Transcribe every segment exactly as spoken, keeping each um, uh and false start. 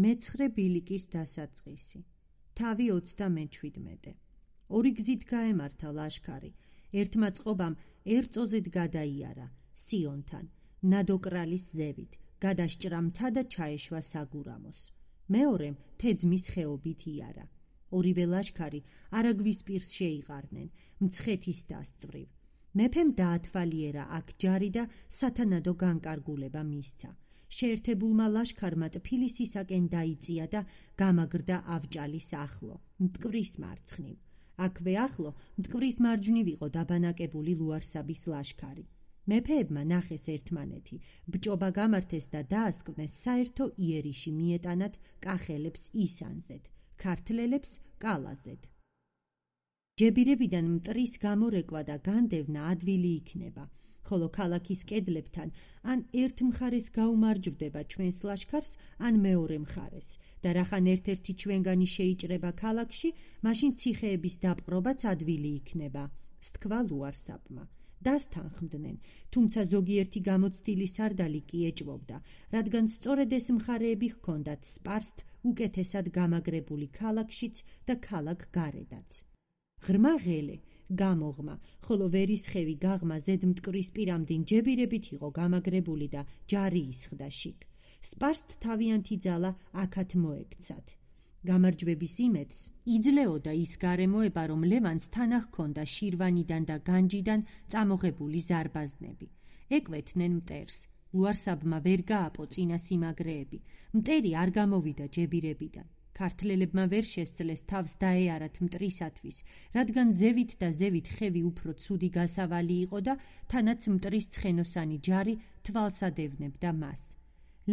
მეცხრე ბილიკის დასაწყისი. თავი ოცდამეჩვიდმეტე. ორი გზით გაემართა ლაშქარი. ერთმა წყობამ ერწოზედ გადაიარა სიონთან, ნადოკრალის ზევით, გადასჭრა მთა და ჩაეშვა საგურამოს. მეორემ თეძმის ხეობით იარა. ორივე ლაშქარი არაგვის პირს შეიყარნენ, მცხეთის დასწვრივ. მეფემ დაათვალიერა აქ ჯარი და სათანადო განკარგულება მისცა. შეერთებულმა ლაშქარმა ტფილისისაკენ დაიწია და გამაგრდა ავჭალის ახლო, მტკვრის მარცხნივ. აქვე ახლო, მტკვრის მარჯვნივ იყო დაბანაკებული ლუარსაბის ლაშქარი. მეფეებმა ნახეს ერთმანეთი, ბჭობა გამართეს და დაასკვნეს საერთო იერიში მიეტანათ კახელებს ისანზედ, ქართლელებს კალაზედ. ჯებირებიდან მტრის გამორეკვა და განდევნა ადვილი იქნება, ხოლო ქალაქის კედლებთან ან ერთ მხარეს გაუმარჯვდება ჩვენს ლაშქარს, ან მეორე მხარეს და რახან ერთ-ერთი ჩვენგანი შეიჭრება ქალაქში, მაშინ ციხეების დაპყრობაც ადვილი იქნება, სთქვა ლუარსაბმა. დასთანხმდნენ, თუმცა ზოგიერთი გამოცდილი სარდალი კი ეჭვობდა, რადგან სწორედ ეს მხარეები ჰქონდათ სპარსთ უკეთესად გამაგრებული ქალაქშიც და ქალაქ გარედაც. ღრმა ღელე, გამოღმა, ხოლო ვერისხევი გაღმა ზედ მტკვრის პირამდინ ჯებირებით იყო გამაგრებული და ჯარი ისხდა შიგ. სპარსთ თავიანთი ძალა აქათ მოექცათ. გამარჯვების იმედს იძლეოდა ის გარემოება, რომ ლევანს თანა ჰქონდა შირვანიდან და განჯიდან წამოღებული ზარბაზნები. ეკვეთნენ მტერს. ლუარსაბმა ვერ გააპო წინა სიმაგრეები. მტერი არ გამოვიდა ჯებირებიდან. ქართლელებმა ვერ შესძლეს თავს დაეარათ მტრისათვის, რადგან ზევით და ზევით ხევი უფრო ცუდი გასავალი იყო და თანაც მტრის ცხენოსანი ჯარი თვალს ადევნებდა მას.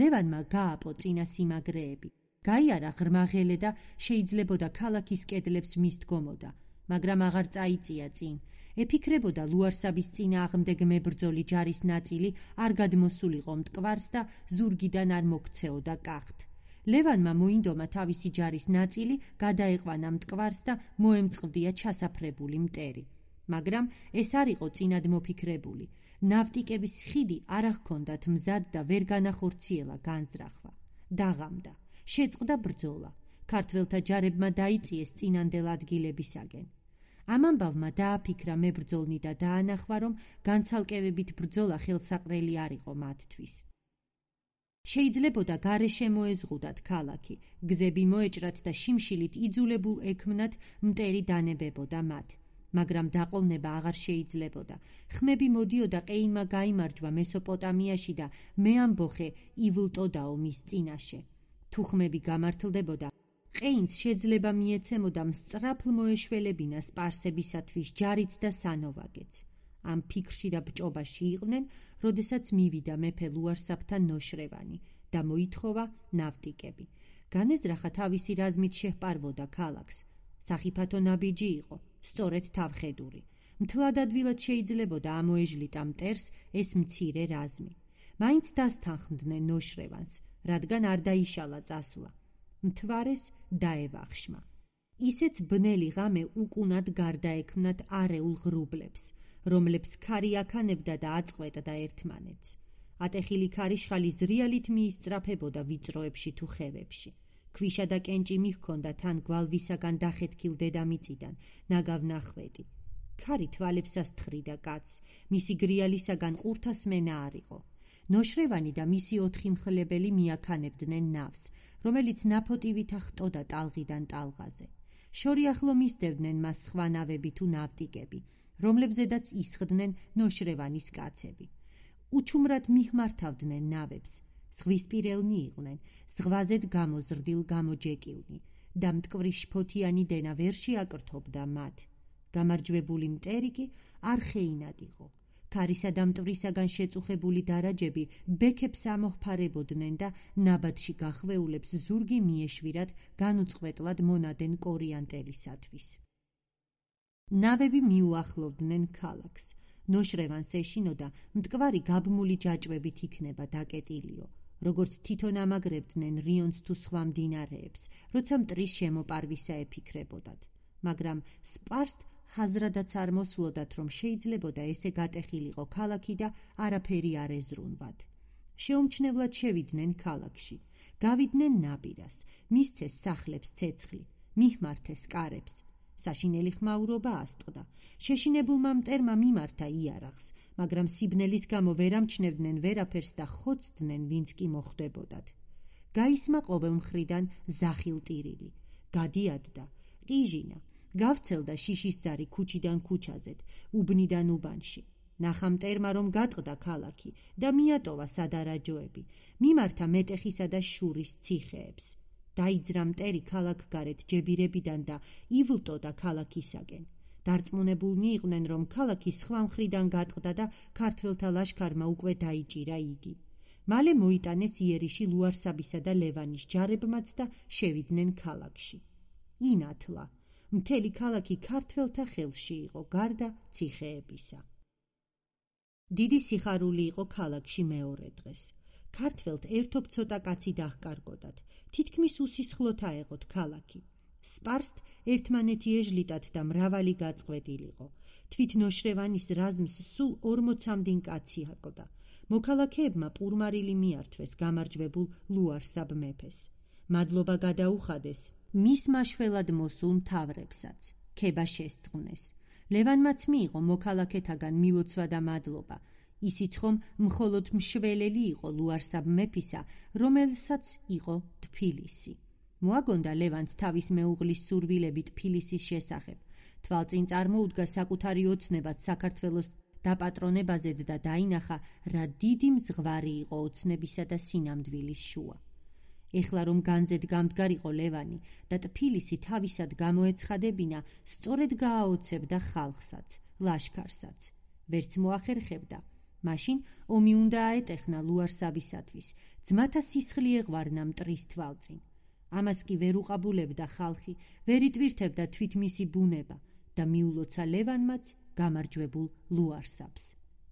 ლევანმა გააპო წინა სიმაგრეები. გაიარა ღრმა ღელე და შეიძლებოდა ქალაქის კედლებს მისდგომოდა, მაგრამ აღარ წაიწია წინ. ეფიქრებოდა ლუარსაბის წინააღმდეგ მებრძოლი ჯარის ნაწილი არ გადმოსულიყო მტკვარს და ზურგიდან არ მოქცეოდა კახთ. ლევანმა მოინდომა თავისი ჯარის ნაწილი, გადაეყვანა მტკვარს და მოემწყდია ჩასაფრებული მტერი. მაგრამ ეს არ იყო წინად მოფიქრებული. ნავტიკების ხიდი არ ჰქონდათ მზად და ვერ განახორციელა განზრახვა. დაღამდა. შეწყდა ბრძოლა. ქართველთა ჯარებმა დაიწიეს წინანდელ ადგილებისაკენ. ამ ამბავმა დააფიქრა მებრძოლნი და დაანახვა, რომ განცალკევებით ბრძოლა ხელსაყრელი არ იყო მათთვის. შეიძლებოდა გარეშე მოეზღუდათ ქალაქი, გზები მოეჭრათ და შიმშილით იძულებულ ექმნათ მტერი დანებებოდა მათ. მაგრამ დაყოლნება აღარ შეიძლებოდა. ხმები მოდიოდა ყეინმა გაიმარჯვა მესოპოტამიაში და მეამბოხე ივლტოდაო მის წინაშე. თუ ხმები გამართლდებოდა, ყეინს შეძლება მიეცემოდა მსწრაფლ მოეშველებინა სპარსებისათვის ჯარიც და სანოვაგეც. ამ ფიქრში და ბჭობაში იყვნენ, როდესაც მივიდა მეფე ლუარსაბთან ნოშრევანი და მოითხოვა ნავტიკები. განეზრახა თავისი რაზმით შეჰპარვოდა ქალაქს. სახიფათო ნაბიჯი იყო, სწორედ თავხედური. მთლად ადვილად შეიძლებოდა ამოეჟლიტა მტერს ეს მცირე რაზმი. მაინც დასთანხმდნენ ნოშრევანს, რადგან არ დაიშალა წასვლა. მთვარეს დაევახშმა. ისეც ბნელი ღამე უკუნად გარდაექმნათ არეულ ღრუბლებს, რომლებს ქარი აქანებდა და აწყვეტდა ერთმანეთს. ატეხილი ქარიშხალი ზრიალით მიისწრაფებოდა ვიწროებში თუ ხევებში. ქვიშა და კენჭი მიჰქონდა თან გვალვისაგან დახეთქილ დედამიწიდან, ნაგავნახვედი. ქარი თვალებსას თხრიდა კაცს, მისი გრიალისაგან ყურთასმენა არ იყო. ნოშრევანი და მისი ოთხი მხლებელი მიაქანებდნენ ნავს, რომელიც ნაფოტივით ახტოდა ტალღიდან ტალღაზე. შორი ახლო მისდევდნენ მას სხვა ნავები თუ ნავტიკები, რომლებზედაც ისხდნენ ნოშრევანის კაცები. უჩუმრად მიჰმართავდნენ ნავებს, ზღვისპირელნი იყვნენ, ზღვაზედ გამოზრდილ გამოჯეკილნი და მტკვრის შფოთიანი დენა ვერ შეაკრთობდა მათ. გამარჯვებული მტერი კი არხეინად იყო. ქარისა და მტვრისაგან შეწუხებული დარაჯები ბექებს ამოჰფარებოდნენ და ნაბადში გახვეულებს ზურგი მიეშვირათ განუწყვეტლად მონადენ კორიანტელისათვის. ნავები მიუახლოვდნენ ქალაქს. ნოშრევანს ეშინოდა მტკვარი გაბმული ჯაჭვებით იქნება დაკეტილიო, როგორც თვითონ ამაგრებდნენ რიონს თუ სხვა მდინარეებს, როცა მტრის შემოპარვისა ეფიქრებოდათ. მაგრამ სპარსთ ხაზრადაც არ მოსვლოდათ, რომ შეიძლებოდა ესე გატეხილიყო ქალაქი და არაფერი არ ეზრუნვათ. შეუმჩნევლად შევიდნენ ქალაქში. გავიდნენ ნაბირას, მისცეს სახლებს ცეცხლი, მიჰმართეს კარებს. საშინელი ხმაურობა ასტყდა. შეშინებულმა მტერმა მიმართა იარაღს, მაგრამ სიბნელის გამო ვერ ამჩნევდნენ ვერაფერს და ხოცდნენ, ვინც კი მოხვდებოდათ. გაისმა ყოველ მხრიდან ზახილტირილი, გადიადდა, ყიჟინა, გავრცელდა შიშისძარი ქუჩიდან ქუჩაზეთ, უბნიდან უბანში. ნახა მტერმა, რომ გატყდა ქალაქი და მიატოვა სადარაჯოები, მიმართა მეტეხისა და შურის ციხეებს. დაიძრა მტერი ქალაქგარეთ ჯებირებიდან და ივლტოდა ქალაქისაკენ. დარწმუნებულნი იყვნენ, რომ ქალაქი სხვა მხრიდან გატყდა და ქართველთა ლაშქარმა უკვე დაიჭირა იგი. მალე მოიტანეს იერიში ლუარსაბისა და ლევანის ჯარებმაც და შევიდნენ ქალაქში. ინათლა, მთელი ქალაქი ქართველთა ხელში იყო, გარდა ციხეებისა. დიდი სიხარული იყო ქალაქში მეორე დღეს. ქართველთ ერთობ ცოტა კაცი დაჰკარგოდათ, თითქმის უსისხლოდ აეღოთ ქალაქი. სპარსთ ერთმანეთი ეჟლიტათ და მრავალი გაწყვეტილიყო. თვით ნოშრევანის რაზმს სულ ორმოცამდინ კაცი აკლდა. მოქალაქეებმა პურმარილი მიართვეს გამარჯვებულ ლუარსაბ მეფეს. მადლობა გადაუხადეს მის მაშველად მოსულ მთავრებსაც. ქება შესწღვნეს. ლევანმაც მიიღო მოქალაქეთაგან მილოცვა და მადლობა. ისიც ხომ მხოლოდ მშველელი იყო ლუარსაბ მეფისა, რომელსაც იყო თბილისი. მოაგონდა ლევანს თავის მეუღლის სურვილები თბილისის შესახებ. თვალწინ წარმოუდგა საკუთარი ოცნებად საქართველოს დაპატრონებაზე და დაინახა, რა დიდი მზღვარი იყო ოცნებისა და სინამდვილის შუა. ეხლა რომ განძედ გამდგარიყო ლევანი და თბილისი თავისად გამოეცხადებინა, სწორედ გააოცებდა ხალხსაც, ლაშქარსაც. ვერც მოახერხებდა. მაშინ ომი უნდა აეტეხნა ლუარსაბისათვის, ძმათა სისხლი ეღვარნა მტრის თვალწინ. ამას კი ვერ უყაბულებდა ხალხი, ვერ იტვირთებდა თვით მისი ბუნება და მიულოცა ლევანმაც გამარჯვებულ ლუარსაბს.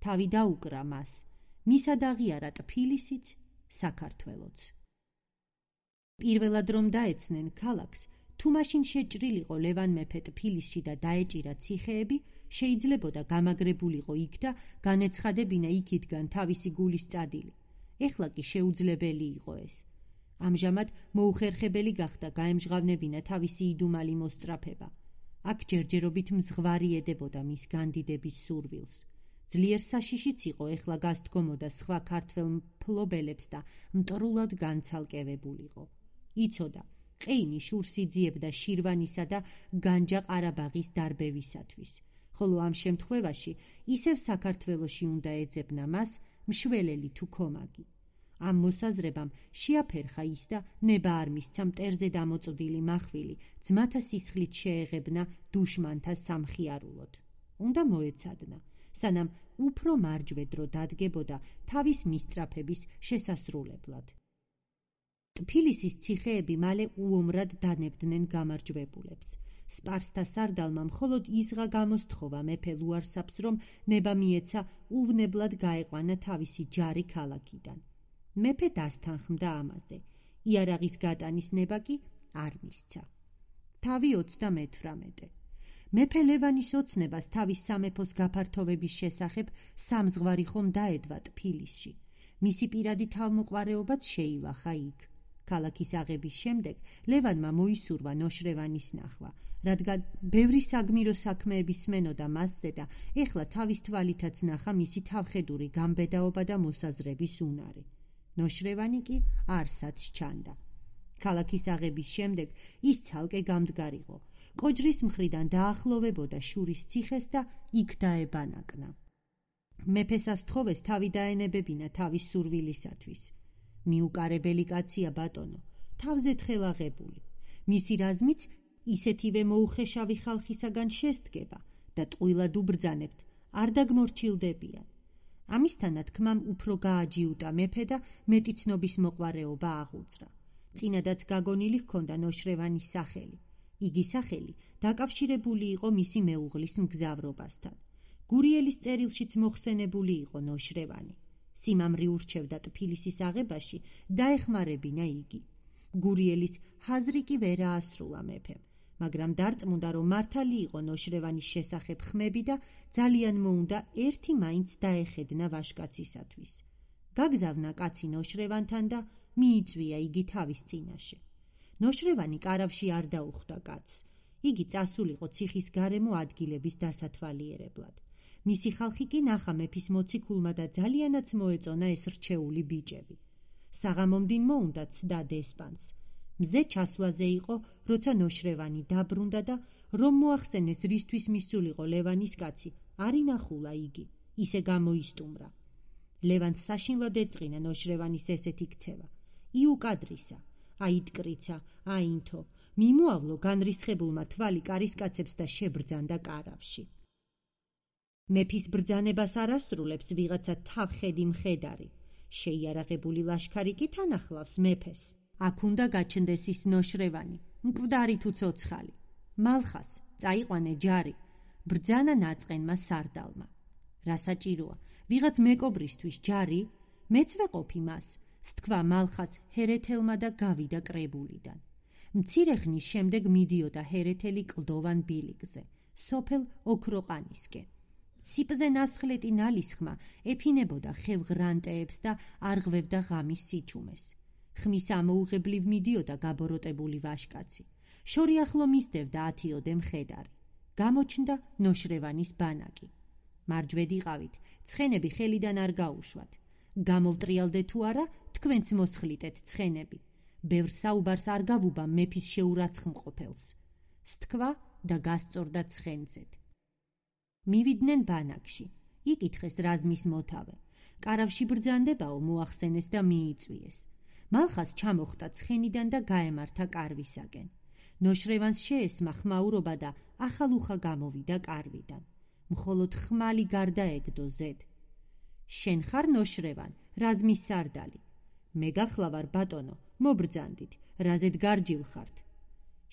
თავი დაუკრა მას, მისად აღიარა თბილისიც, საქართველოც. პირველად რომ დაეცნენ ქალაქს, თუ მაშინ შეჭრილიყო ლევან მეფე თბილისში და დაეჭირა ციხეები, შეიძლებოდა გამაგრებულიყო იქ და განეცხადებინა იქითგან თავისი გულის წადილი. ეხლა კი შეუძლებელი იყო ეს. ამჟამად მოუხერხებელი გახდა გაემჟღავნებინა თავისი იდუმალი მოსწრაფება. აქ ჯერჯერობით მზღვარი ედებოდა მის განდიდების სურვილს. ძლიერ საშიშიც იყო ეხლა გასდგომოდა სხვა ქართველ მფლობელებს და მტრულად განცალკევებულიყო. იცოდა, ყეინი შურს იძიებდა შირვანისა და განჯა ყარაბაღის დარბევისათვის, ხოლო ამ შემთხვევაში ისევ საქართველოში უნდა ეძებნა მას მშველელი თუ ქომაგი. ამ მოსაზრებამ შეაფერხა ის და ნება არ მისცა მტერზე დამოწოდილი მახვილი ძმათა სისხლით შეეღებნა დუშმანთა სამხიარულოდ. უნდა მოეცადნა, სანამ უფრო მარჯვე დრო დადგებოდა თავის მისწრაფების შესასრულებლად. თბილისის ციხეები მალე უომრად დანებდნენ გამარჯვებულებს. სპარსთა სარდალმა მხოლოდ იზღა გამოსთხოვა მეფე ლუარსაბს, რომ ნება მიეცა უვნებლად გაეყვანა თავისი ჯარი ქალაქიდან. მეფე დასთანხმდა ამაზე. იარაღის გატანის ნება კი არ მისცა. თავი ოცდამეთვრამეტე. მეფე ლევანის ოცნებას თავის სამეფოს გაფართოვების შესახებ სამზღვარი ხომ დაედვა თბილისში. მისი პირადი თავმოყვარეობაც შეილახა იქ. ქალაქის აღების შემდეგ ლევანმა მოისურვა ნოშრევანის ნახვა, რადგან ბევრი საგმირო საქმეები სმენოდა მასზე და ეხლა თავის თვალითაც ნახა მისი თავხედური გამბედაობა და მოსაზრების უნარი. ნოშრევანი კი არსად სჩანდა. ქალაქის აღების შემდეგ ის ცალკე გამდგარიყო. კოჯრის მხრიდან დაახლოვებოდა შურის ციხეს და იქ დაებანაკნა. მეფეს ასთხოვეს თავი დაენებებინა თავის სურვილისათვის. მიუკარებელი კაცია ბატონო, თავზე თხელაღებული. მისი რაზმიც ისეთივე მოუხეშავი ხალხისაგან შესდგება და ტყუილად უბრძანებთ, არ დაგმორჩილდებიან. ამისთანად ქმამ უფრო გააჯიუტა მეფე და მეტი ცნობის მოყვარეობა აღუძრა. წინადაც გაგონილი ჰქონდა ნოშრევანის სახელი. იგი სახელი დაკავშირებული იყო მისი მეუღლის მგზავრობასთან. გურიელის წერილშიც მოხსენებული იყო ნოშრევანი. სიმამრი ურჩევდა თბილისის აღებაში, დაეხმარებინა იგი. გურიელის ჰაზრი კი ვერ აასრულა მეფემ, მაგრამ დარწმუნდა, რომ მართალი იყო ნოშრევანის შესახებ ხმები და ძალიან მოუნდა ერთი მაინც დაეხედნა ვაჟკაცისათვის. გაგზავნა კაცი ნოშრევანთან და მიიწვია იგი თავის წინაშე. ნოშრევანი კარავში არ დაუხვდა კაცს. იგი წასულიყო ციხის გარემო ადგილების დასათვალიერებლად. მისი ხალხი კი ნახა მეფის მოციქულმა და ძალიანაც მოეწონა ეს რჩეული ბიჭები. საღამომდინ მოუნდა ცდა დესპანს. მზე ჩასვლაზე იყო, როცა ნოშრევანი დაბრუნდა და რომ მოახსენეს რისთვის მისულიყო ლევანის კაცი, არ ინახულა იგი, ისე გამოისტუმრა. ლევანს საშინლად ეწყინა ნოშრევანის ესეთი ქცევა. იუკადრისა, აიტკრიცა, აინთო, მიმოავლო განრისხებულმა თვალი კარისკაცებს და შებრძანდა კარავში. მეფის ბრძანებას არ ასრულებს ვიღაცა თავხედი მხედარი. შეიარაღებული ლაშქარი კი თან ახლავს მეფეს. აქ უნდა გაჩნდეს ის ნოშრევანი, მკვდარი თუ ცოცხალი. მალხას წაიყვანე ჯარი, ბრძანა ნაწყენმა სარდალმა. რა საჭიროა, ვიღაც მეკობრისთვის ჯარი? მეც ვეყოფი მას, სთქვა მალხას ჰერეთელმა და გავიდა კრებულიდან. მცირე ხნის შემდეგ მიდიოდა ჰერეთელი კლდოვან ბილიკზე, სოფელ ოქროყანისკენ. სიპზე ნასხლეტი ნალისხმა ეფინებოდა ხევღრანტეებს და არღვევდა ღამის სიჩუმეს. ხმის ამოუღებლივ მიდიოდა გაბოროტებული ვაშკაცი. შორი ახლო მისდევდა ათიოდე მხედარი. გამოჩნდა ნოშრევანის ბანაკი. მარჯვედიყავით, ცხენები ხელიდან არ გაუშვათ. გამოვტრიალდე თუ არა, თქვენც მოსხლიტეთ ცხენები. ბევრ საუბარს არ გავუბა მეფის შეურაცხმყოფელს. სთქვა და გასწორდა ცხენზედ. მივიდნენ ბანაკში. იკითხეს რაზმის მოთავე. კარავში ბრძანდებაო მოახსენეს და მიიწვიეს. მალხას ჩამოხტა ცხენიდან და გაემართა კარვისაკენ. ნოშრევანს შეესმა ხმაურობა და ახალუხა გამოვიდა კარვიდან. მხოლოდ ხმალი გარდაეგდო ზედ. შენ ხარ ნოშრევან, რაზმის სარდალი. მე გახლავარ ბატონო, მობრძანდით, რაზედ გარჯილ ხართ.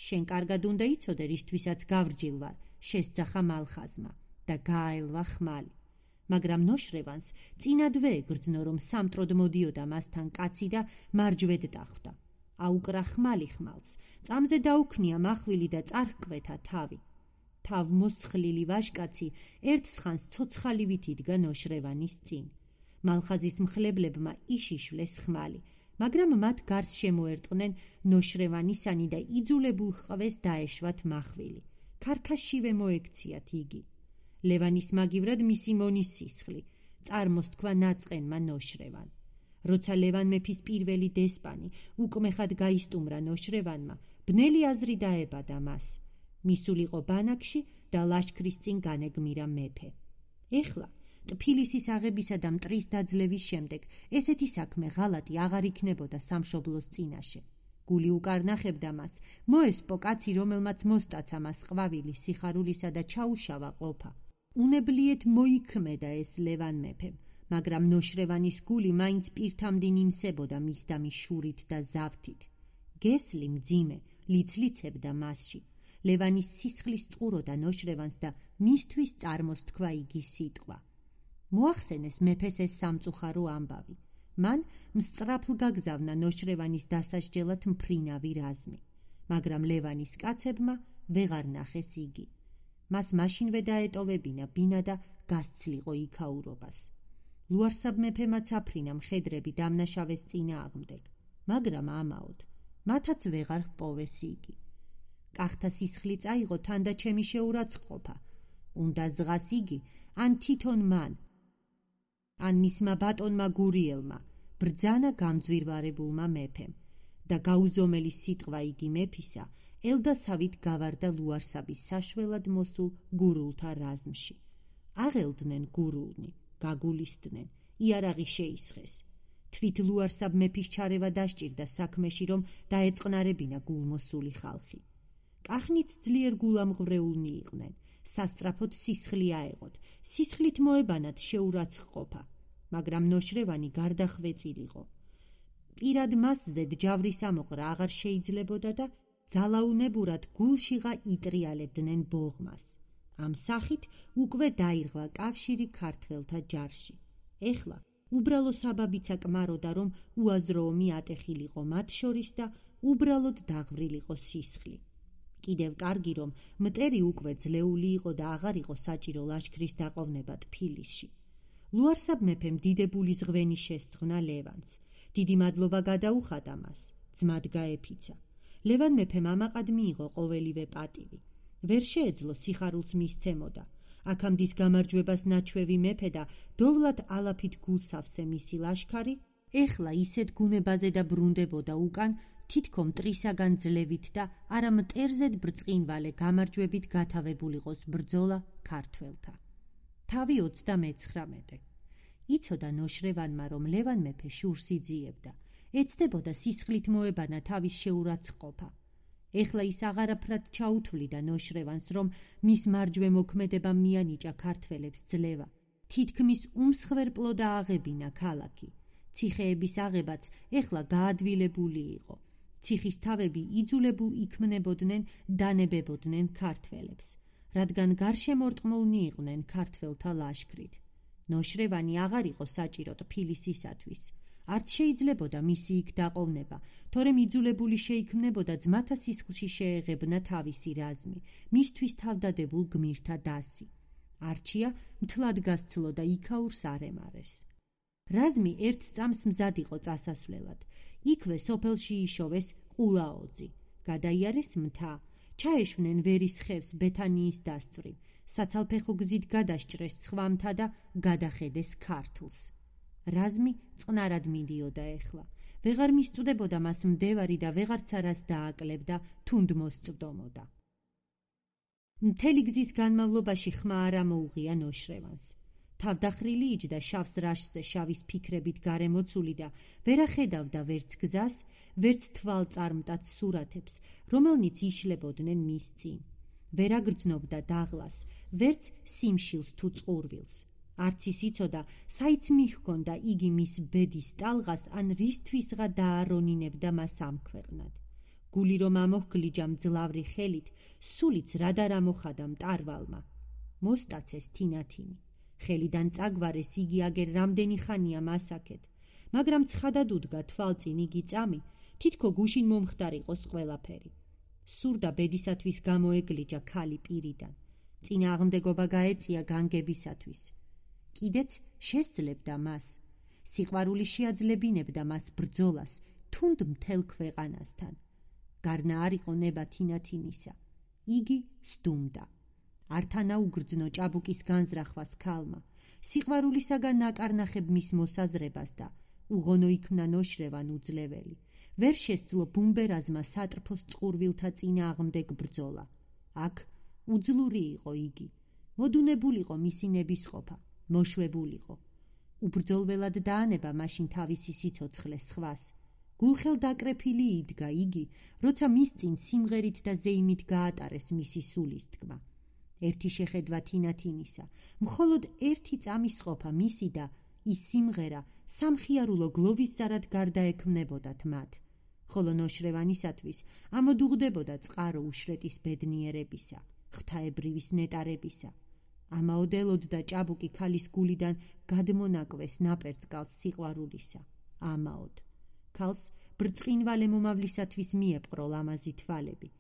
შენ კარგად უნდა იცოდე რისთვისაც გავრჯილ ვარ, შესძახა მალხაზმა და გააელვა ხმალი. მაგრამ ნოშრევანს წინადვე ეგრძნო, რომ სამტროდ მოდიოდა მასთან კაცი და მარჯვედ დახვდა. აუკრა ხმალი ხმალს, წამზე დაუქნია მახვილი და წარჰკვეთა თავი. თავ მოსხლილი ვაშკაცი ერთ სხანს ცოცხალივით იდგა ნოშრევანის წინ. მალხაზის მხლებლებმა იშიშვლეს ხმალი, მაგრამ მათ გარს შემოერტყნენ ნოშრევანისანი და იძულებულ ხვეს დაეშვათ მახვილი. ქარქაშივე მოექციათ იგი. ლევანის მაგივრად მისი მონის სისხლი, წარმოსთქვა ნაწყენმა ნოშრევან. როცა ლევან მეფის პირველი დესპანი უკმეხად გაისტუმრა ნოშრევანმა, ბნელი აზრი დაებადა მას. მისულიყო ბანაკში და ლაშქრის წინ განეგმირა მეფე. ეხლა, ტფილისის აღებისა და მტრის დაძლევის შემდეგ, ესეთი საქმე ღალატი აღარ იქნებოდა სამშობლოს წინაშე. გული უკარნახებდა მას, მოესპო კაცი, რომელმაც მოსტაცა მას ყვავილი სიხარულისა და ჩაუშავა ყოფა. უნებლიეთ მოიქმედა ეს ლევან მეფემ, მაგრამ ნოშრევანის გული მაინც პირთამდინ იმსებოდა მისდამი შურით და ზავთით. გესლი მძიმე, ლიცლიცებდა მასში. ლევანის სისხლის წყუროდა ნოშრევანს და მისთვის წარმოსთქვა იგი სიტყვა. მოახსენეს მეფეს ეს სამწუხარო ამბავი. მან მსწრაფლ გაგზავნა ნოშრევანის დასასჯელად მფრინავი რაზმი, მაგრამ ლევანის კაცებმა ვეღარ ნახეს იგი. მას მაშინვე დაეტოვებინა ბინა და გასცლიყო იქაურობას. ლუარსაბ მეფემაც აფრინა მხედრები დამნაშავეს წინააღმდეგ, მაგრამ ამაოდ, მათაც ვეღარ ჰპოვეს იგი. კახთა სისხლი წაიღო თან და ჩემი შეურაცხყოფა. უნდა ზღას იგი, ან თვითონ მან, ან მისმა ბატონმა გურიელმა, ბრძანა გამძვირვარებულმა მეფემ და გაუზომელი სიტყვა იგი მეფისა, ელდასავით გავარდა ლუარსაბის საშველად მოსულ გურულთა რაზმში. აღელდნენ გურულნი, გაგულისდნენ, იარაღი შეისხეს. თვით ლუარსაბ მეფის ჩარევა დასჭირდა საქმეში, რომ დაეწყნარებინა გულმოსული ხალხი. კახნიც ძლიერ გულამღვრეულნი იყვნენ, სასწრაფოდ სისხლი აეღოთ, სისხლით მოებანათ შეურაცხყოფა, მაგრამ ნოშრევანი გარდახვეწილიყო. პირად მასზე ჯავრის ამოყრა აღარ შეიძლებოდა და ძალაუნებურად გულშიღა იტრიალებდნენ ბოღმას. ამ სახით უკვე დაირღვა კავშირი ქართველთა ჯარში. ეხლა უბრალო საბაბიცა კმაროდა, რომ უაზროომი ატეხილიყო მათ შორის და უბრალოდ დაღვრილიყო სისხლი. კიდევ კარგი, რომ მტერი უკვე ძლეული იყო და აღარ იყო საჭირო ლაშქრის დაყოვნება ტფილისში. ლუარსაბ მეფემ დიდებული ზღვენი შესძღვნა ლევანს. დიდი მადლობა გადაუხადა მას, ძმად გაეფიცა. ლევან მეფემ ამაყად მიიღო ყოველივე პატივი. ვერ შეეძლო სიხარულს მისცემოდა. აქამდის გამარჯვებას ნაჩვევი მეფე და დოვლად ალაფით გულსავსე მისი ლაშქარი ეხლა ისეთ გუნებაზე და ბრუნდებოდა უკან, თითქო მტრისაგან ძლევით და არა მტერზედ ბრწყინვალე გამარჯვებით გათავებულიყოს ბრძოლა ქართველთა. თავი ოცდამეცხრამეტე. იცოდა ნოშრევანმა, რომ ლევან მეფე შურს იძიებდა. ეცდებოდა სისხლით მოებანა თავის შეურაცხყოფა. ეხლა ის აღარაფრად ჩაუთვლიდა ნოშრევანს, რომ მის მარჯვე მოქმედებამ მიანიჭა ქართველებს ძლევა. თითქმის უმსხვერპლო და აღებინა ქალაქი. ციხეების აღებაც ეხლა გაადვილებული იყო. ციხის თავები იძულებულ იქმნებოდნენ დანებებოდნენ ქართველებს, რადგან გარშემორტყმულნი იყვნენ ქართველთა ლაშქრით. ნოშრევანი აღარ იყო საჭირო ტფილისისათვის. არც შეიძლებოდა მისი იქ დაყოვნება, თორემ იძულებული შეიქმნებოდა ძმათა სისხლში შეეღებნა თავისი რაზმი, მისთვის თავდადებულ გმირთა დასი. არჩია მთლად გასცლო და იქაურს არ ემარეს. რაზმი ერთ წამს მზად იყო წასასვლელად. იქვე სოფელში იშოვეს ყულაოძი, გადაიარეს მთა, ჩაეშვნენ ვერის ხევს ბეთანიის დასწვრივ, საცალფეხო გზით გადასჭრეს სხვა მთა და გადახედეს ქართლს. რაზმი წყნარად მიდიოდა ეხლა. ვეღარ მისწვდებოდა მას მდევარი და ვეღარც არას დააკლებდა, თუნდ მოსწვდომოდა. მთელი გზის განმავლობაში ხმა არ ამოუღია ნოშრევანს. თავდახრილი იჯდა შავს რაშზე შავის ფიქრებით გარემოცული და ვერ ახედავდა ვერც გზას, ვერც თვალწარმტაც სურათებს, რომელნიც იშლებოდნენ მის წინ. ვერ აგრძნობდა დაღლას, ვერც სიმშილს თუ წყურვილს. არც ის იცოდა, საიც მიჰქონდა იგი მის ბედის ტალღას ან რისთვისღა დაარონინებდა მას ამ ქვეყნად. გული რომ ამოჰგლიჯა მძლავრი ხელით, სულიც რად არ ამოხადა მტარვალმა. მოსტაცეს თინათინი. ხელიდან წაგვარეს იგი აგერ რამდენი ხანია მასაკეთ, მაგრამ ცხადად უდგა თვალწინ იგი წამი, თითქო გუშინ მომხდარიყოს ყველაფერი. სურდა ბედისათვის გამოეგლიჯა ქალი პირიდან. წინააღმდეგობა გაეწია განგებისათვის. კიდეც შესძლებდა მას. სიყვარული შეაძლებინებდა მას ბრძოლას, თუნდ მთელ ქვეყანასთან. გარნა არ იყო ნება თინათინისა. იგი სდუმდა. ართანა უგრძნო ჭაბუკის განზრახვას ქალმა. სიყვარულისაგან აკარნახებ მის მოსაზრებას და უღონო იქნა ნოშრევან უძლეველი. ვერ შესძლო ბუმბერაზმა სატრფოს წყურვილთა წინააღმდეგ ბრძოლა. აქ უძლური იყო იგი. მოდუნებულიყო მისი ნებისყოფა. მოშვებულიყო. უბრძოლველად დაანება მაშინ თავისი სიცოცხლე სხვას. გულხელ დაკრეფილი იდგა იგი, როცა მის წინ სიმღერით და ზეიმით გაატარეს მისი სულის თქმა. ერთი შეხედვა თინათინისა, მხოლოდ ერთი წამის ყოფა მისი და ის სიმღერა სამხიარულო გლოვისზარად გარდაექმნებოდათ მათ. ხოლო ნოშრევანისათვის ამოდუღდებოდა წყარო უშრეტის ბედნიერებისა, ღვთაებრივის ნეტარებისა. ამაოდელოდდა ჭაბუკი ქალის გულიდან გადმონაკვეს ნაპერწკალს სიყვარულისა. ამაოდ. ქალს ბრწყინვალე მომავლისათვის მიეპყრო ლამაზი თვალები.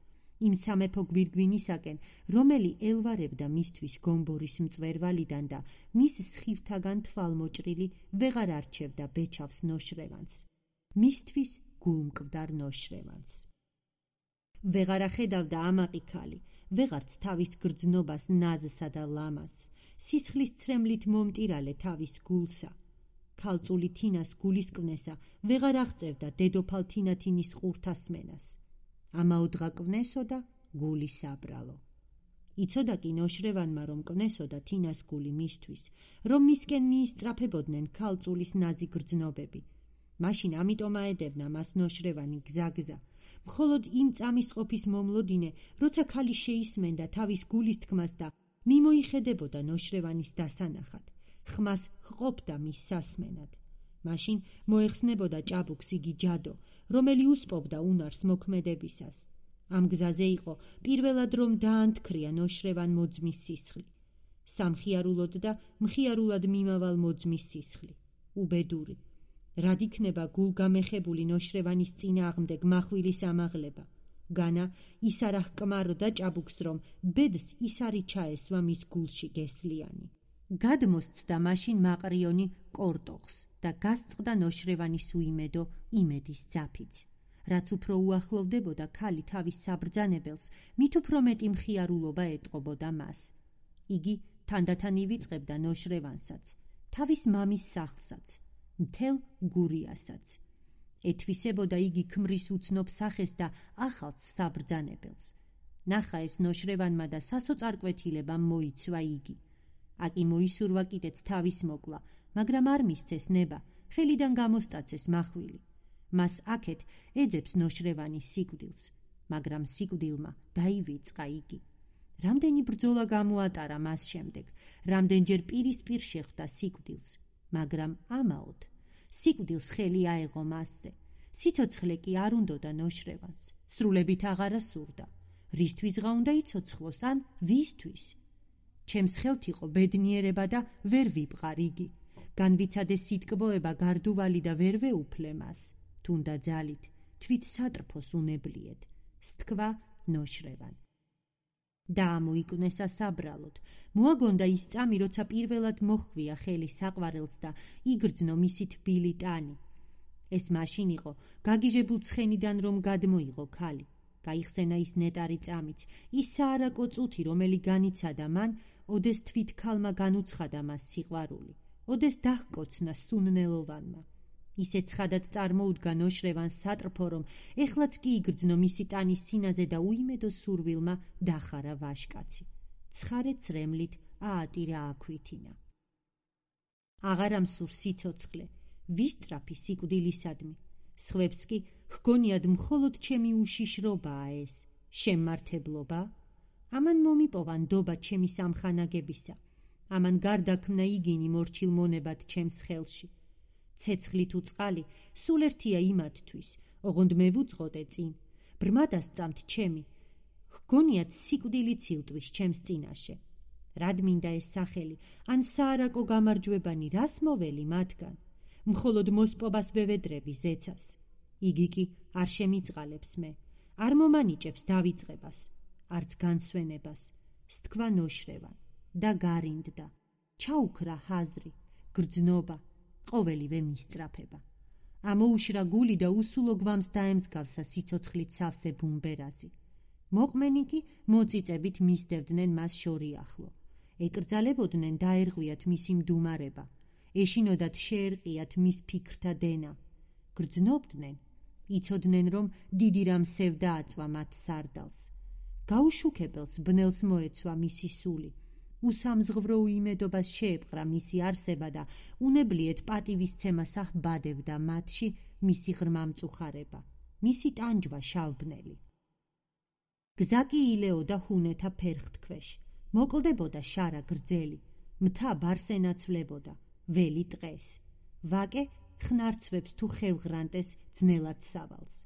იმ სამეფო გვირგვინისაკენ, რომელი ელვარებდა მისთვის გომბორის მწვერვალიდან და მის სხივთაგან თვალმოჭრილი ვეღარ არჩევდა ბეჩავს ნოშრევანს. მისთვის გულმკვდარ ნოშრევანს. ვეღარ ახედავდა ამაყი ქალი, ვეღარც თავის გრძნობას ნაზსა და ლამაზს, სისხლის ცრემლით მომტირალე თავის გულსა. ქალწული თინას გულისკვნესა ვეღარ აღწევდა დედოფალ თინათინის ყურთასმენას. ამაოდღა კვნესოდა გული საბრალო. იცოდა კი ნოშრევანმა, რომ კვნესოდა თინას გული მისთვის, რომ მისკენ მიისწრაფებოდნენ ქალწულის ნაზი გრძნობები. მაშინ ამიტომ აედევნა მას ნოშრევანი გზაგზა. მხოლოდ იმ წამის ყოფის მომლოდინე, როცა ქალი შეისმენდა თავის გულის თქმას და მიმოიხედებოდა ნოშრევანის დასანახად. ხმას ჰყოფდა მის სასმენად. მაშინ მოეხსნებოდა ჭაბუკს იგი ჯადო, რომელი უსპობდა უნარს მოქმედებისას. ამ გზაზე იყო პირველად რომ დაანთქრია ნოშრევან მოძმის სისხლი. სამხიარულოდ და მხიარულად მიმავალ მოძმის სისხლი. უბედური. რად იქნება გულგამეხებული ნოშრევანის წინააღმდეგ მახვილის ამაღლება. განა ის არ აჰკმაროდა ჭაბუკს, რომ ბედს ის არი ჩაესვა მის გულში გესლიანი. გადმოსცდა მაშინ მაყრიონი კორტოხს, და გასწყდა ნოშრევანის უიმედო იმედის ძაფიც. რაც უფრო უახლოვდებოდა ქალი თავის საბრძანებელს, მით უფრო მეტი მხიარულობა ეტყობოდა მას. იგი თანდათან ივიწყებდა ნოშრევანსაც, თავის მამის სახლსაც, მთელ გურიასაც. ეთვისებოდა იგი ქმრის უცნობ სახეს და ახალს საბრძანებელს. ნახა ეს ნოშრევანმა და სასოწარკვეთილებამ მოიცვა იგი. აკი მოისურვა კიდეც თავის მოკლა, მაგრამ არ მისცეს ნება, ხელიდან გამოსტაცეს მახვილი. მას აქეთ ეძებს ნოშრევანის სიკვდილს, მაგრამ სიკვდილმა დაივიწყა იგი. რამდენი ბრძოლა გამოატარა მას შემდეგ, რამდენჯერ პირისპირ შეხვდა სიკვდილს, მაგრამ ამაოდ სიკვდილს ხელი აეღო მასზე. სიცოცხლე კი არ უნდოდა ნოშრევანს, სრულებით აღარა სურდა. რისთვისღა უნდა იცოცხლოს, ან ვისთვის? ჩემს ხელთ იყო ბედნიერება და ვერ ვიბყარ იგი. განვიცადეს სიტკბოება გარდუვალი და ვერ ვეუფლე მას. თუნდა ძალით, თვით სატრფოს უნებლიეთ, სთქვა ნოშრევან. დაამოიკვნესა საბრალოდ, მოაგონდა ის წამი, როცა პირველად მოხვია ხელი საყვარელს და იგრძნო მისი თბილი ტანი. ეს მაშინ იყო გაგიჟებულ ცხენიდან რომ გადმოიღო ქალი. გაიხსენა ის ნეტარი წამიც, ის საარაკო წუთი, რომელი განიცადა მან, ოდეს თვით ქალმა განუცხადა მას სიყვარული, ოდეს დაჰკოცნა სუნნელოვანმა. ისე ცხადად წარმოუდგა ნოშრევანს სატრფო, რომ ეხლაც კი იგრძნო მისი ტანის სინაზე და უიმედო სურვილმა დახარა ვაშკაცი. ცხარე წრემლით აატირა აქვითინა. აღარა მსურს სიცოცხლე, ვისწრაფი სიკვდილისადმი. სხვებს კი ჰგონიად მხოლოდ ჩემი უშიშრობაა ეს, შემმართებლობა? ამან მომიპოვა ნდობა ჩემი სამხანაგებისა, ამან გარდაქმნა იგინი მორჩილ მონებად ჩემს ხელში. ცეცხლი თუ წყალი, სულ ერთია იმათთვის, ოღონდ მე ვუძღოდე წინ, ბრმა დასწამთ ჩემი, ჰგონიათ სიკვდილი ცილტვის ჩემს წინაშე. რად მინდა ეს სახელი, ან საარაკო გამარჯვებანი, რას მოველი მათგან? მხოლოდ მოსპობას ვევედრები ზეცას. იგი კი არ შემიწყალებს მე, არ მომანიჭებს დავიწყებას, არც განსვენებას. სთქვა ნოშრევან და გარინდდა. ჩაუქრა ჰაზრი, გრძნობა, ყოველივე მისწრაფება. ამოუშრა გული და უსულო გვამს დაემსგავსა სიცოცხლით სავსე ბუმბერაზი. მოყმენი კი მოწიწებით მისდევდნენ მას შორიახლო. ეკრძალებოდნენ დაერღვიათ მისი მდუმარება, ეშინოდათ შეერყიათ მის ფიქრთა დენა. გრძნობდნენ, იცოდნენ რომ დიდი რამ სევდა აწვა მათ სარდალს. გაუშუქებელს ბნელს მოეცვა მისი სული. უსამზღვრო უიმედობას შეეპყრა მისი არსება და უნებლიეთ პატივისცემას ახბადებდა მათში მისი ღრმა მწუხარება, მისი ტანჯვა შავბნელი. გზა კი ილეოდა ჰუნეთა ფერხთქვეშ, მოკლდებოდა შარა გრძელი, მთა ბარს ენაცვლებოდა, ველი ტყეს. ვაკე ხნარცვებს თუ ხევღრანტეს ძნელად სავალს.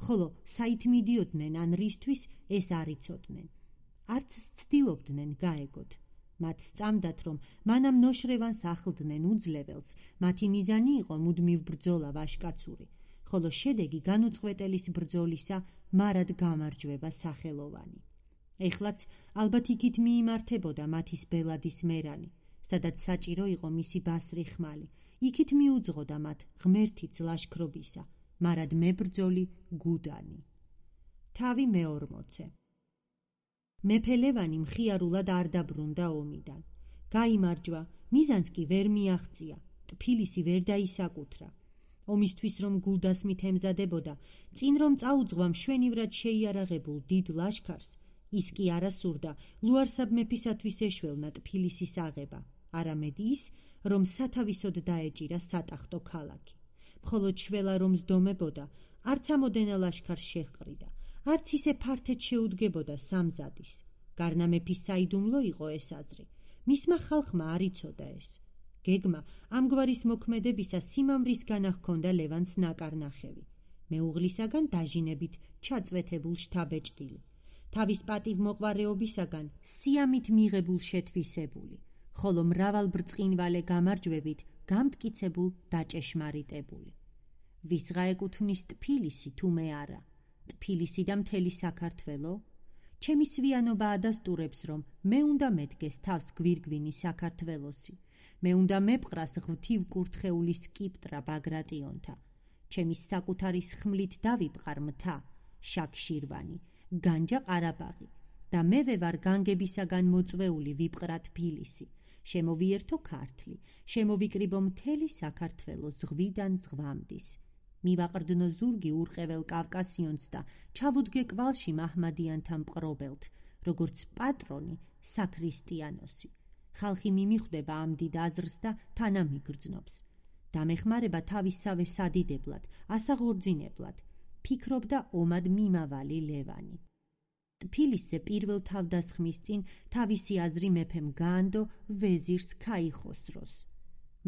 ხოლო საით მიდიოდნენ ან რისთვის, ეს არ იცოდნენ. არც ცდილობდნენ გაეგოთ. მათ სწამდათ, რომ მანამ ნოშრევანს ახლდნენ უძლეველს, მათი მიზანი იყო მუდმივ ბრძოლა ვაშკაცური, ხოლო შედეგი განუწყვეტელის ბრძოლისა მარად გამარჯვება სახელოვანი. ეხლაც ალბათ იქით მიიმართებოდა მათის ბელადის მერანი, სადაც საჭირო იყო მისი ბასრი ხმალი, იქით მიუძღოდა მათ ღმერთიც ლაშქრობისა, მარად მებრძოლი გუდანი. თავი მეორმოცე. მეფე ლევანი მხიარულად არ დაბრუნდა ომიდან. გაიმარჯვა, მიზანს კი ვერ მიაღწია, ტფილისი ვერ დაისაკუთრა. ომისთვის რომ გულდასმით ემზადებოდა, წინ რომ წაუძღვა მშვენივრად შეიარაღებულ დიდ ლაშქარს, ის კი არასურდა ლუარსაბ მეფისათვის ეშველნა ტფილისის აღება, არამედ ის, რომ სათავისოდ დაეჭირა სატახტო ქალაქი. მხოლოდ შველა რომ ზდომებოდა, არც ამოდენა ლაშქარს შეჰყრიდა, არც ისე ფართედ შეუდგებოდა სამზადის. გარნა მეფის საიდუმლო იყო ეს აზრი, მისმა ხალხმა არ იცოდა ეს. გეგმა ამგვარის მოქმედებისა სიმამრისგან ჰქონდა ლევანს ნაკარნახევი, მეუღლისაგან დაჟინებით ჩაწვეთებულ შთაბეჭდილი, თავის პატივმოყვარეობისაგან სიამით მიღებულ შეთვისებული, ხოლო მრავალ ბრწყინვალე გამარჯვებით გამტკიცებულ დაჭეშმარიტებული. ვისღა ეკუთვნის ტფილისი თუ მე არა, ტფილისი და მთელი საქართველო? ჩემი სვიანობა ადასტურებს, რომ მე უნდა მედგეს თავს გვირგვინი საქართველოსი, მე უნდა მეპყრას ღვთივ კურთხეული სკიპტრა ბაგრატიონთა. ჩემი საკუთარი სხმლით დავიპყარ მთა, შაქ-შირვანი, განჯა ყარაბაღი და მევე ვარ განგებისაგან მოწვეული ვიპყრა თბილისი. შემოვიერთო ქართლი, შემოვიკრიბო მთელი საქართველო ზღვიდან ზღვამდის. მივაყრდნო ზურგი ურყეվել კავკასიონს და ჩავუდგე კვალში მაჰმადიანთა მპყრობელთ, როგორც პატრონი საქრისტიანოსი. ხალხი მიმიხვდება ამ დიდ აზრს და თანამიგრძნობს. დამეხმარება თავისსავე სადიდებლად, ასაღორძინებლად, ფიქრობდა ომად მიმავალი ლევანი. ტფილისზე პირველ თავდასხმის წინ თავისი აზრი მეფემ გაანდო ვეზირს ქაიხოსროს.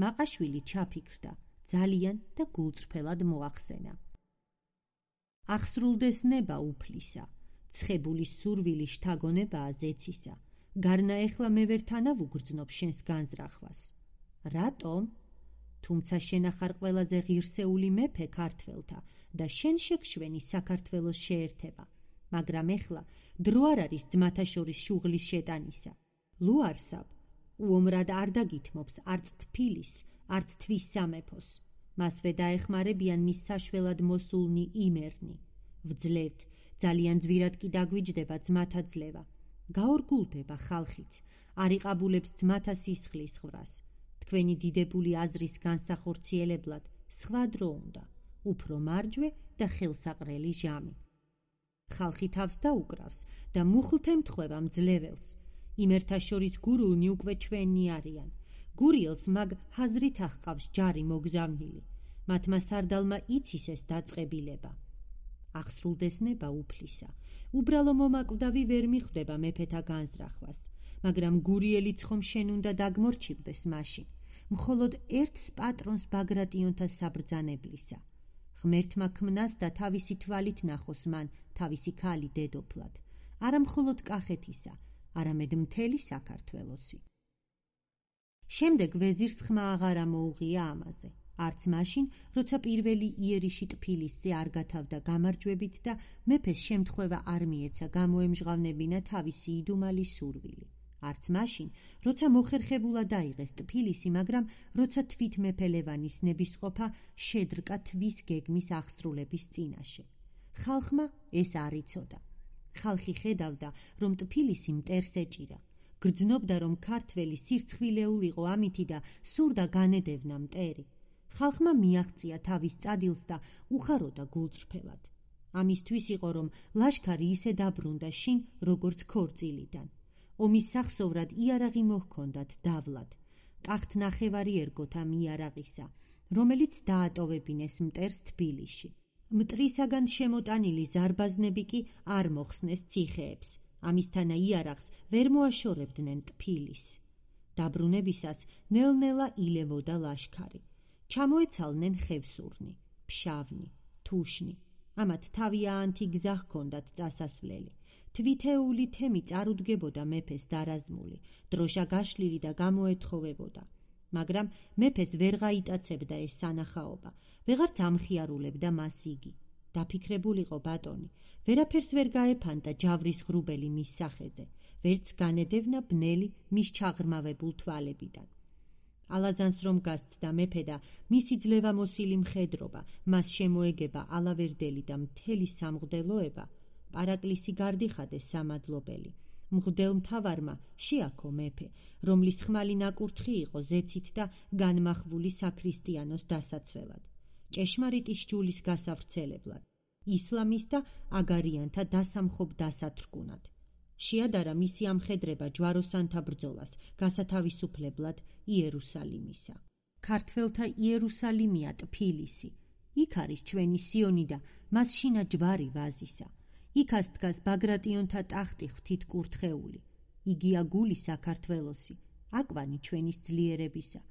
მაყაშვილი ჩაფიქრდა, ძალიან და გულწრფელად მოახსენა. აღსრულდეს ნება უფლისა, ცხებული სურვილი შთაგონებაა ზეცისა. გარნა ეხლა მე ვერ თანავუგრძნობ შენს განზრახვას. რატომ? თუმცა შენ ახარ ყველაზე ღირსეული მეფე ქართველთა და შენ შეგშვენი საქართველოს შეერთება. მაგრამ ეხლა დრო არ არის ძმათა შორის შუღლის შეტანისა. ლუარსაბ უომრად არ დაგითმობს არც თფილის, არც თვის სამეფოს. მასვე დაეხმარებიან მის საშველად მოსულნი იმერნი. ვძლევთ, ძალიან ძვირად კი დაგვიჯდება ძმათა ძლევა. გაორგულდება ხალხიც, არ იყაბულებს ძმათა სისხლის ხრას. თქვენი დიდებული აზრის განსახორციელებლად სხვა დრო უნდა, უფრო მარჯვე და ხელსაყრელი ჟამი. ხალხი თავს დაუკრავს და მუხლთ ემთხვევა მძლეველს. იმერთა შორის გურულნი უკვე ჩვენი არიან. გურიელს მაგ ჰაზრით ახყავს ჯარი მოგზავნილი. მათმა სარდალმა იცის ეს დაწყებილება. აღსრულდეს ნება უფლისა. უბრალო მომაკვდავი ვერ მიხვდება მეფეთა განზრახვას, მაგრამ გურიელიც ხომ შენ უნდა დაგმორჩილდეს მაშინ, მხოლოდ ერთს პატრონს ბაგრატიონთა საბრძანებლისა. ღმერთმა ქმნას და თავისი თვალით ნახოს მან თავისი ქალი დედოფლად, არა მხოლოდ კახეთისა, არამედ მთელი საქართველოსი. შემდეგ ვეზირს ხმა აღარ ამოუღია ამაზე, არც მაშინ, როცა პირველი იერიში ტფილისზე არ გათავდა გამარჯვებით და მეფეს შემთხვევა არ მიეცა გამოემჟღავნებინა თავისი იდუმალი სურვილი. არც მაშინ, როცა მოხერხებულა დაიღეს ტფილისი, მაგრამ როცა თვით მეფე ლევანის ნებისყოფა შედრკა თვის გეგმის აღსრულების წინაშე. ხალხმა ეს არ იცოდა. ხალხი ხედავდა, რომ ტფილისი მტერს ეჭირა. გრძნობდა, რომ ქართველი სირცხვილეულიყო ამითი და სურდა განედევნა მტერი. ხალხმა მიაღწია თავის წადილს და უხაროდა გულწრფელად. ამისთვის იყო, რომ ლაშქარი ისე დაბრუნდა შინ, როგორც ქორწილიდან. ომის სახსოვრად იარაღი მოჰქონდათ დავლად. ტახტ ნახევარი ერგოთ ამ იარაღისა, რომელიც დაატოვებინეს მტერს თბილისში. მტრისაგან შემოტანილი ზარბაზნები კი არ მოხსნეს ციხეებს. ამისთანა იარაღს ვერ მოაშორებდნენ ტფილის. დაბრუნებისას ნელ-ნელა ილევოდა ლაშქარი. ჩამოეცალნენ ხევსურნი, ფშავნი, თუშნი. ამათ თავიანთი გზა ჰქონდათ წასასვლელი. თვითეული თემი წარუდგებოდა მეფეს დარაზმული, დროშა გაშლილი და გამოეთხოვებოდა. მაგრამ მეფეს ვერ გაიტაცებდა ეს სანახაობა, ვეღარც ამხიარულებდა მას იგი. დაფიქრებულიყო ბატონი, ვერაფერს ვერ გაეფანტა ჯავრის ღრუბელი მის სახეზე, ვერც განედევნა ბნელი მის ჩაღრმავებულ თვალებიდან. ალაზანს რომ გასცდა მეფე და მისი ძლევამოსილი მხედრობა, მას შემოეგება ალავერდელი და მთელი სამღვდელოება, პარაკლისი გარდიხადეს სამადლობელი. მღვდელ მთავარმა შეაქო მეფე, რომლის ხმალი ნაკურთხი იყო ზეცით და განმახვული საქრისტიანოს დასაცველად, ჭეშმარიტი სჯულის გასავრცელებლად, ისლამის და აგარიანთა დასამხობ დასათრგუნად. შეადარა მისი ამხედრება ჯვაროსანთა ბრძოლას, გასათავისუფლებლად იერუსალიმისა. ქართველთა იერუსალიმია ტფილისი. იქ არის ჩვენი სიონი და მას შინა ჯვარი ვაზისა. იქას დგას ბაგრატიონთა ტახტი ღვთით კურთხეული. იგია გული საქართველოსი, აკვანი ჩვენის ძლიერებისა.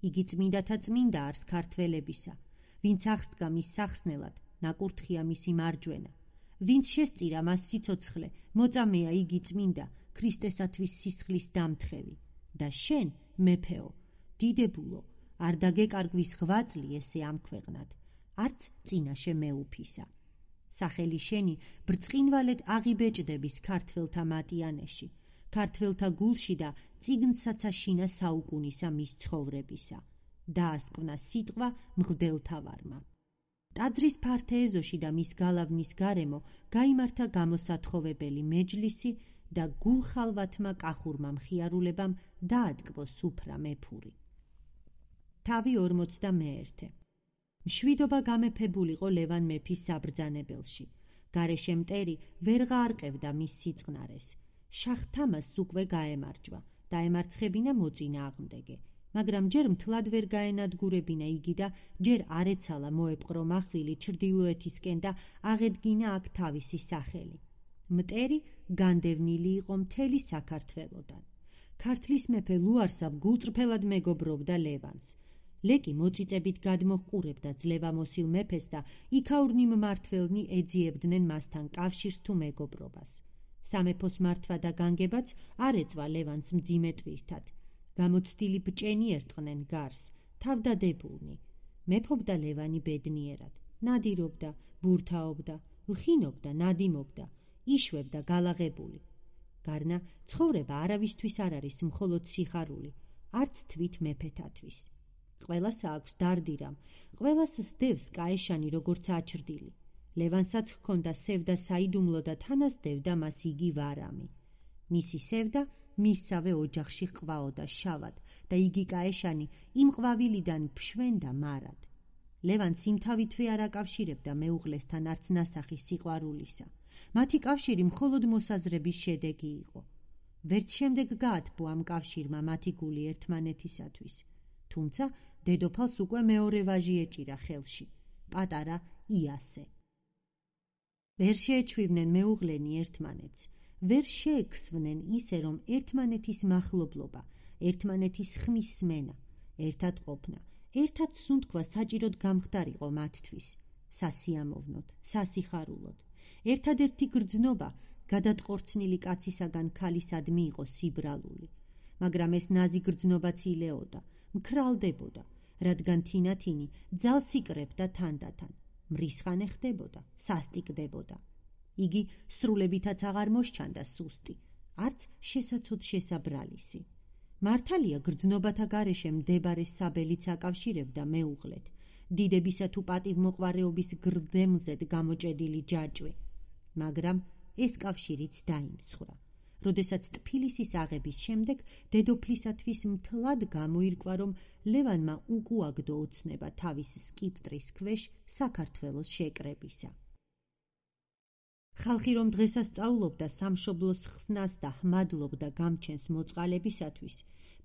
იგი წმინდათა წმინდა არს ქართველებისა. ვინც აღსდგა მის სახსნელად, ნაკურთხია მისი მარჯვენა. ვინც შესწირა მას სიცოცხლე, მოწამეა იგი წმინდა, ქრისტესათვის სისხლის დამთხევი. და შენ, მეფეო, დიდებულო, არ დაგეკარგვის ღვაწლი ესე ამ ქვეყნად, არც წინაშე მეუფისა. სახელი შენი ბრწყინვალედ აღიბეჭდების ქართველთა მატიანეში. ქართველთა გულში და წიგნსაც აშინა საუკუნისა მის ცხოვრებისა. დაასკვნა სიტყვა მღვდელთავარმა. ტაძრის ფართე ეზოში და მის გალავნის გარემო გაიმართა გამოსათხოვებელი მეჯლისი და გულხალვათმა კახურმა მხიარულებამ დაატკბო სუფრა მეფური. თავი ორმოცდამეერთე. მშვიდობა გამეფებულიყო ლევან მეფის საბრძანებელში. გარეშე მტერი ვერღა არყევდა მის სიწყნარეს. შაჰ-თამასს უკვე გაემარჯვა, დაემარცხებინა მოწინააღმდეგე, მაგრამ ჯერ მთლად ვერ გაენადგურებინა იგი და ჯერ არ ეცალა მოეპყრო მახვილი ჩრდილოეთისკენ და აღედგინა აქ თავისი სახელი. მტერი განდევნილი იყო მთელი საქართველოდან. ქართლის მეფე ლუარსაბ გულწრფელად მეგობრობდა ლევანს. ლეკი მოწიწებით გადმოჰყურებდა ძლევამოსილ მეფეს და იქაურნი მმართველნი ეძიებდნენ მასთან კავშირს თუ მეგობრობას. სამეფოს მართვა და განგებაც არ ეწვა ლევანს მძიმე ტვირთად. გამოცდილი ბჭენი ერტყნენ გარს, თავდადებულნი. მეფობდა ლევანი ბედნიერად, ნადირობდა, ბურთაობდა, ლხინობდა, ნადიმობდა, იშვებდა გალაღებული. გარნა ცხოვრება არავისთვის არ არის მხოლოდ სიხარული, არც თვით მეფეთათვის. ყველას აქვს დარდირამ, ყველას სდევს კაეშანი როგორც აჩრდილი. ლევანსაც ჰქონდა სევდა საიდუმლო და თანას დევდა მას იგი ვარამი. მისი სევდა მისსავე ოჯახში ყვაოდა შავად და იგი კაეშანი იმ ყვავილიდან ფშვენდა მარად. ლევანს იმთავითვე არ აკავშირებდა მეუღლესთან არც ნასახი სიყვარულისა. მათი კავშირი მხოლოდ მოსაზრების შედეგი იყო. ვერც შემდეგ გაათბო ამ კავშირმა მათი გული ერთმანეთისათვის. თუმცა დედოფალს უკვე მეორე ვაჟი ეჭირა ხელში, პატარა იასე. ვერ შეეჩვივნენ მეუღლენი ერთმანეთს, ვერ შეექსვნენ ისე, რომ ერთმანეთის მახლობლობა, ერთმანეთის ხმის სმენა, ერთად ყოფნა, ერთად სუნთქვა საჭიროდ გამხდარიყო მათთვის, სასიამოვნოდ, სასიხარულოდ. ერთადერთი გრძნობა გადატყორცნილი კაცისაგან ქალისადმი იყო სიბრალული, მაგრამ ეს ნაზი გრძნობაც ილეოდა, მქრალდებოდა, რადგან თინათინი ძალს იკრებდა თანდათან, მრისხანე ხდებოდა, სასტიკდებოდა. იგი სრულებითაც აღარ მოსჩანდა სუსტი, არც შესაცოდ შესაბრალისი. მართალია გრძნობათა გარეშე მდებარე საბელიც აკავშირებდა მეუღლეთ, დიდებისა თუ პატივმოყვარეობის გრდემლზედ გამოჭედილი ჯაჭვი, მაგრამ ეს კავშირიც დაიმსხვრა. როდესაც ტფილისის აღების შემდეგ დედოფლისათვის მთლად გამოირკვა, რომ ლევანმა უკუაგდო ოცნება თავის სკიპტრის ქვეშ საქართველოს შეკრებისა. ხალხი რომ დღესასწაულობდა სამშობლოს ხსნას და ჰმადლობდა გამჩენს მოწყალებისათვის,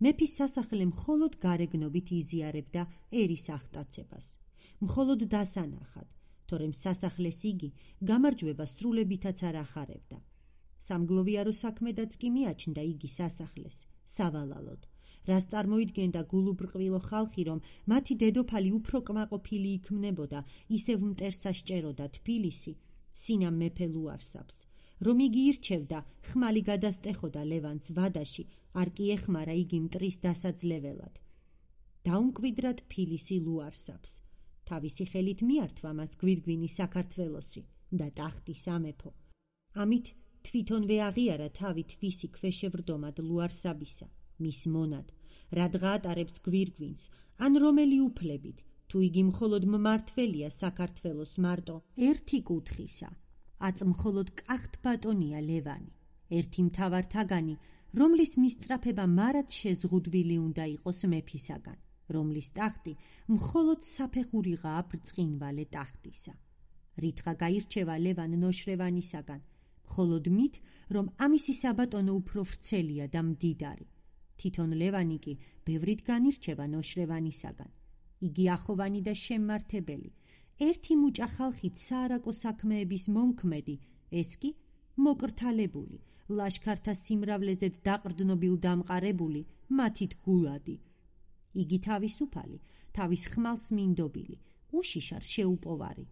მეფის სასახლე მხოლოდ გარეგნობით იზიარებდა ერის აღტაცებას. მხოლოდ დასანახად, თორემ სასახლეს იგი გამარჯვება სრულებითაც არ ახარებდა. სამგლოვიარო საქმედაც კი მიაჩნდა იგი სასახლეს, სავალალოდ, რას წარმოიდგენდა გულუბრყვილო ხალხი, რომ მათი დედოფალი უფრო კმაყოფილი იქმნებოდა, ისევ მტერსა სჭეროდა თბილისი, სინამ მეფე ლუარსაბს, რომ იგი ირჩევდა, ხმალი გადასტეხოდა ლევანს ვადაში, არ კი ეხმარა იგი მტრის დასაძლეველად. დაუმკვიდრა თბილისი ლუარსაბს. თავისი ხელით მიართვა მას გვირგვინი საქართველოსი და ტახტი სამეფო. ამით თვითონვე აღიარა თავი თვისი ქვეშევრდომად ლუარსაბისა, მის მონად, რადგა ატარებს გვირგვინს, ან რომელი უფლებით, თუ იგი მხოლოდ მმართველია საქართველოს მარტო ერთი კუთხისა, აწ მხოლოდ კახთბატონია ლევანი, ერთი მთავართაგანი, რომლის მისწრაფება მარად შეზღუდვილი უნდა იყოს მეფისაგან, რომლის ტახტი მხოლოდ საფეხურიღაა ბრწყინვალე ტახტისა. რითღა გაირჩევა ლევან ნოშრევანისაგან, მხოლოდ მით, რომ ამისი საბატონო უფრო ვრცელია და მდიდარი. თვითონ ლევანი კი ბევრით განირჩევა ნოშრევანისაგან. იგი ახოვანი და შემმართებელი, ერთი მუჭა ხალხით საარაკო საქმეების მომქმედი, ეს კი მოკრთალებული, ლაშქართა სიმრავლეზედ დაყრდნობილ დამყარებული, მათით გულადი. იგი თავისუფალი, თავის ხმალს მინდობილი, უშიშარ შეუპოვარი.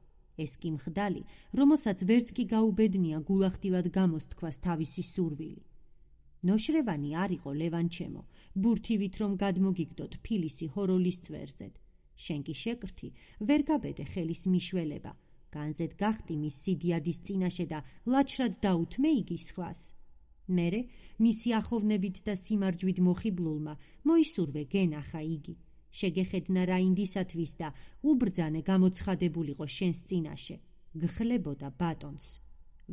ეს კი მხდალი, რომელსაც ვერც კი გაუბედნია გულახდილად გამოსთქვას თავისი სურვილი. ნოშრევანი არ იყო ლევანჩემო, ბურთივით რომ გადმოგიგდო თბილისი ჰოროლის წვერზედ. შენ კი შეკრთი, ვერ გაბედე ხელის მიშველება, განზედ გახტი მის სიდიადის წინაშე და ლაჩრად დაუთმე იგი სხვას. მერე მისი ახოვნებით და სიმარჯვით მოხიბლულმა მოისურვე გენახა იგი, შეგეხედნა რა ინდისათვის და უბრძანე გამოცხადებულიყო შენს წინაშე, გხლებოდა ბატონს.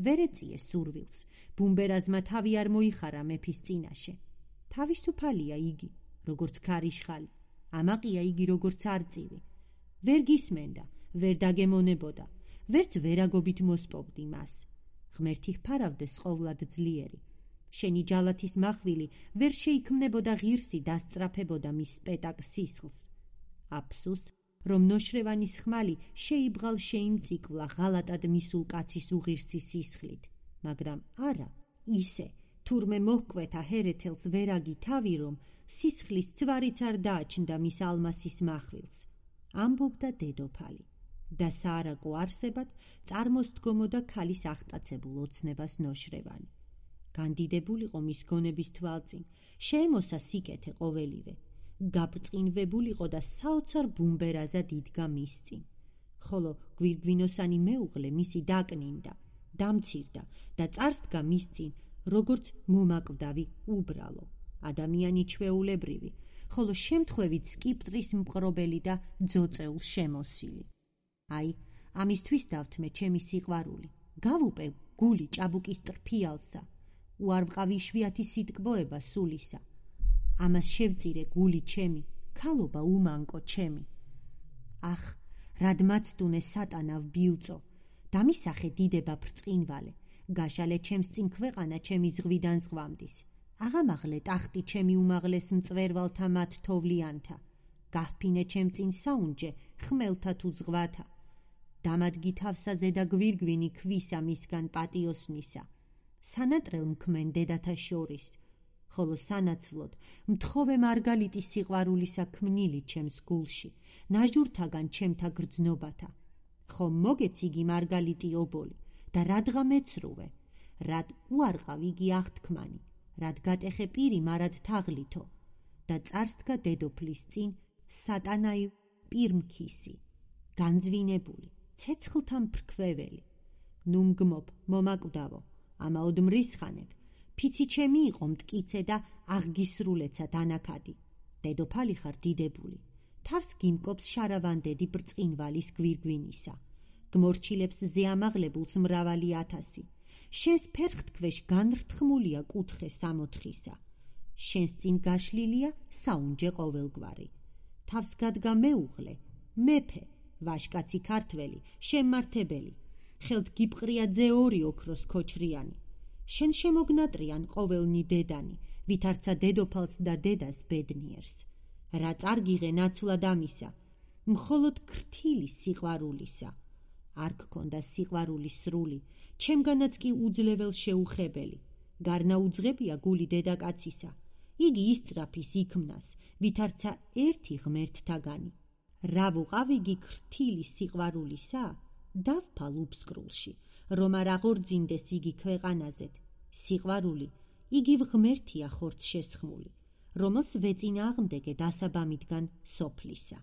ვერ ეწიე სურვილს, ბუმბერაზმა თავი არ მოიხარა მეფის წინაშე. თავისუფალია იგი, როგორც ქარიშხალი, ამაყია იგი როგორც არწივი. ვერ გისმენდა, ვერ დაგემონებოდა, ვერც ვერაგობით მოსპობდი მას. ღმერთი ჰფარავდეს ყოვლად ძლიერი. შენი ჯალათის მახვილი ვერ შეიქმნებოდა ღირსი დასწრაფებოდა მის სპეტაკ სისხლს. აფსუს, რომ ნოშრევანის ხმალი შეიბღალ შეიმწიკვლა ღალატად მისულ კაცის უღირსი სისხლით, მაგრამ არა, ისე, თურმე მოჰკვეთა ჰერეთელს ვერაგი თავი, რომ სისხლის ცვარიც არ დააჩნდა მის ალმასის მახვილს, ამბობდა დედოფალი და საარაკო არსებად წარმოსდგომოდა ქალის აღტაცებულ ოცნებას ნოშრევანი. განდიდებულიყო მის გონების თვალწინ, შეემოსა სიკეთე ყოველივე, გაბრწყინვებულიყო და საოცარ ბუმბერაზად იდგა მის წინ, ხოლო გვირგვინოსანი მეუღლე მისი დაკნინდა, დამცირდა და წარსდგა მის წინ, როგორც მომაკვდავი უბრალო, ადამიანი ჩვეულებრივი, ხოლო შემთხვევით სკიპტრის მყრობელი და ძოწეულ შემოსილი. აი, ამისთვის დავთმე ჩემი სიყვარული, გავუპე გული ჭაბუკის ტრფიალსა, უარვყავი იშვიათი სიტკბოება სულისა. ამას შევწირე გული ჩემი, ქალობა უმანკო ჩემი. ახ, რად მაცდუნე სატანა ვბილწო, დამისახე დიდება ბრწყინვალე, გაშალე ჩემს წინ ქვეყანა ჩემი ზღვიდან ზღვამდის, აღამაღლე ტახტი ჩემი უმაღლეს მწვერვალთა მათ თოვლიანთა, გაჰფინე ჩემ წინ საუნჯე ხმელთა თუ ზღვათა, დამადგი თავსა ზედა გვირგვინი ქვისა მისგან პატიოსნისა, სანატრელ მქმენ დედათა შორის, ხოლო სანაცვლოდ მთხოვე მარგალიტი სიყვარულისა ქმნილი ჩემს გულში, ნაჟურთაგან ჩემთა გრძნობათა. ხომ მოგეც იგი მარგალიტი ობოლი და რადგა მეცრუვე, რად უარყავ იგი აღთქმანი, რად გატეხე პირი მარად თაღლითო და წარსდგა დედოფლის წინ სატანაი პირმქისი, განძვინებული, ცეცხლთა მფრქვეველი. ნუ მგმობ, მომაკვდავო, ამაოდ მრისხანებ, ფიცი ჩემი იყო მტკიცე და აღგისრულეცა დანაქადი. დედოფალი ხარ დიდებული, თავს გიმკობს შარავანდედი ბრწყინვალის გვირგვინისა, გმორჩილებს ზეამაღლებულს მრავალი ათასი, შენს ფერხთქვეშ განრთქმულია კუთხე სამოთხისა, შენს წინ გაშლილია საუნჯე ყოველგვარი. თავს გადგა მეუღლე, მეფე, ვაშკაცი ქართველი, შემმართებელი, ხელთ გიპყრია ძე ორი ოქროს ქოჩრიანი, შენ შემოგნატრიან ყოველნი დედანი, ვითარცა დედოფალს და დედას ბედნიერს. რა წარგიღე ნაცვლად ამისა, მხოლოდ ქრთილი სიყვარულისა. არ გქონდა სიყვარული სრული, ჩემგანაც კი უძლეվել შეუხებელი, გარნა უძღებია გული დედაკაცისა, იგი ისწრაფის იქმნას, ვითარცა ერთი ღმერთთაგანი. რა ვუყავ იგი ქრთილი სიყვარულისა, დავფალ უბსკრულში, რომ არ აღორძინდეს იგი ქვეყანაზედ. სიყვარული, იგი ღმერთია ხორცშესხმული, რომელს ვეწინააღმდეგე დასაბამიდან სოფლისა.